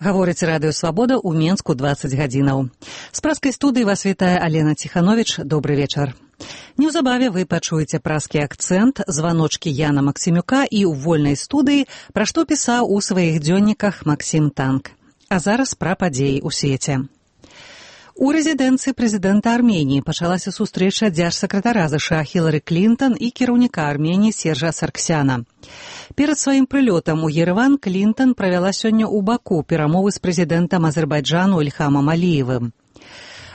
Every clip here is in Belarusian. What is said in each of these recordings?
Гаворыць Радыё Свабода ў Менску 20 гадзінаў. З праскай студыі вас вітае Алена Ціхановіч. Добры вечар. Неўзабаве вы пачуеце праскі акцэнт, званочкі Яна Максімюка і ў вольнай студыі, пра што пісаў у сваіх дзённіках Максім Танк. А зараз пра падзеі ў свеце. У рэзідэнцыі прэзідэнта Арменіі пачалася сустрэча дзяржсакратара ЗША Хілары Клінтон і кіраўніка Арменіі Сержа Сарксяна. Перад сваім прылётам у Ерэван Клінтон правяла сёння ў Баку перамовы з прэзідэнтам Азербайджану Ільхамам Аліевым.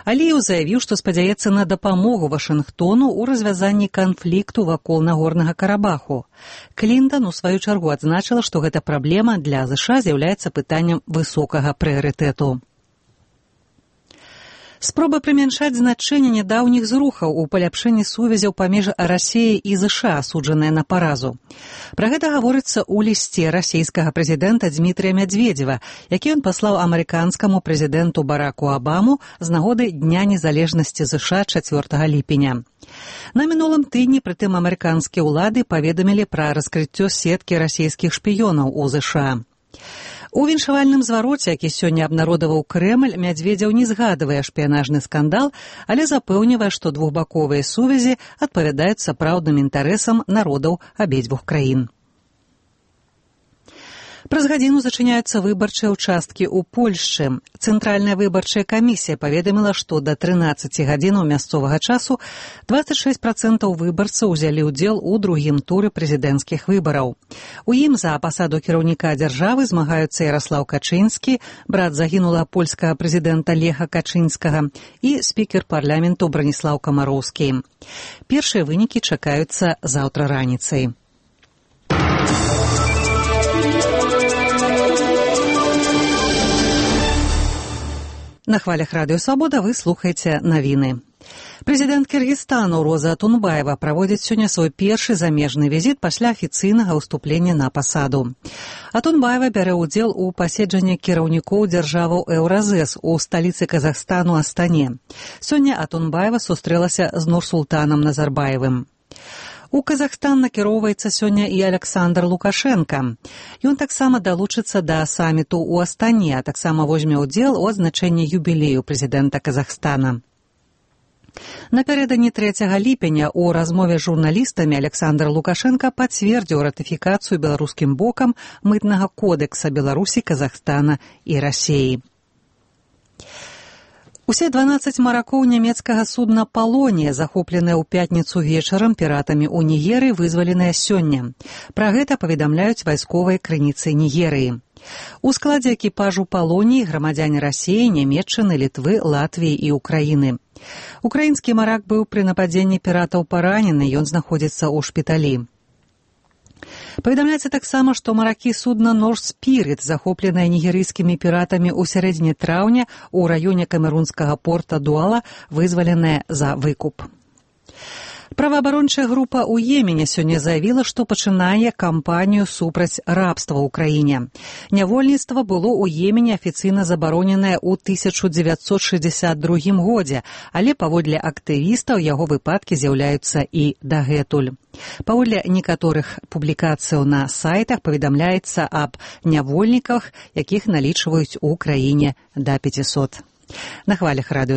Аліеў заявіў, што спадзяецца на дапамогу Вашынгтону ў развязанні канфлікту вакол Нагорнага Карабаху. Клінтон у сваю чаргу адзначыла, што гэта праблема для ЗША з'яўляецца пытаннем высокага прыярытэту. Спроба прымяншаць значэнне нядаўніх зрухаў у паляпшэнні сувязяў паміж Расіяй і ЗША, асуджаная на паразу. Пра гэта гаворыцца ў лісце расійскага прэзідэнта Дмітрыя Мядзведзева, які ён паслаў амерыканскаму прэзідэнту Бараку Абаму з нагоды Дня незалежнасці ЗША 4 ліпеня. На мінулым тыдні прытым амерыканскія ўлады паведамілі пра раскрыццё сеткі расійскіх шпіёнаў у ЗША. У віншавальным звароце, які сёння абнародаваў Крэмль, Мядзведзеў не згадвае шпіянажны скандал, але запэўнівае, што двухбаковыя сувязі адпавядаюць сапраўдным інтарэсам народаў абедзвюх краін. Праз гадзіну зачыняюцца выбарчыя ўчасткі ў Польшчы. Цэнтральная выбарчая камісія паведаміла, што да 13 гадзінаў мясцовага часу 26% выбарцаў узялі ўдзел у другім туры прэзідэнцкіх выбараў. У ім за пасаду кіраўніка дзяржавы змагаюцца Яраслаў Качынскі, брат загінулага польскага прэзідэнта Леха Качынскага, і спікер парламенту Браніслаў Камароўскі. Першыя вынікі чакаюцца заўтра раніцай. На хвалях Радыё Свабода вы слухаеце навіны. Прэзідэнт Кыргызстану Роза Атунбаева праводзіць сёння свой першы замежны візіт пасля афіцыйнага ўступлення на пасаду. Атунбаева бярэ ўдзел у паседжанні кіраўнікоў дзяржаваў Еўразэс у сталіцы Казахстану Астане. Сёння Атунбаева сустрэлася з Нурсултанам Назарбаевым. У Казахстан накіроўваецца сёння і Аляксандр Лукашенка. Ён таксама далучыцца да саміту ў Астане, а таксама возьме ўдзел у адзначэнні юбілею прэзідэнта Казахстана. Напярэдадні 3 ліпеня ў размове з журналістамі Аляксандр Лукашенка пацвердзіў ратыфікацыю беларускім бокам мытнага кодэкса Беларусі, Казахстана і Расіі. Усе 12 маракоў нямецкага судна «Палонія», захопленыя ў пятніцу вечарам піратамі ў Нігерыі, вызваленыя сёння. Пра гэта паведамляюць вайсковыя крыніцы Нігерыі. У складзе экіпажу «Палоніі» грамадзяне Расіі, Нямецчыны, Літвы, Латвіі і Украіны. Украінскі марак быў пры нападзенні піратаў паранены, ён знаходзіцца ў шпіталі. Паведамляецца таксама, што маракі судна «Норс Спірыт», захопленыя нігерыйскімі піратамі ў сярэдзіне траўня ў раёне камерунскага порта Дуала, вызваленыя за выкуп. Праваабарончая група ў Йемене сёння заявіла, што пачынае кампанію супраць рабства ў краіне. Нявольніцтва было ў Йемене афіцыйна забароненае ў 1962 годзе, але паводле актывістаў яго выпадкі з'яўляюцца і дагэтуль. Паводле некаторых публікацыяў на сайтах паведамляецца аб нявольніках, якіх налічваюць у краіне да 500. На хвалях Радыё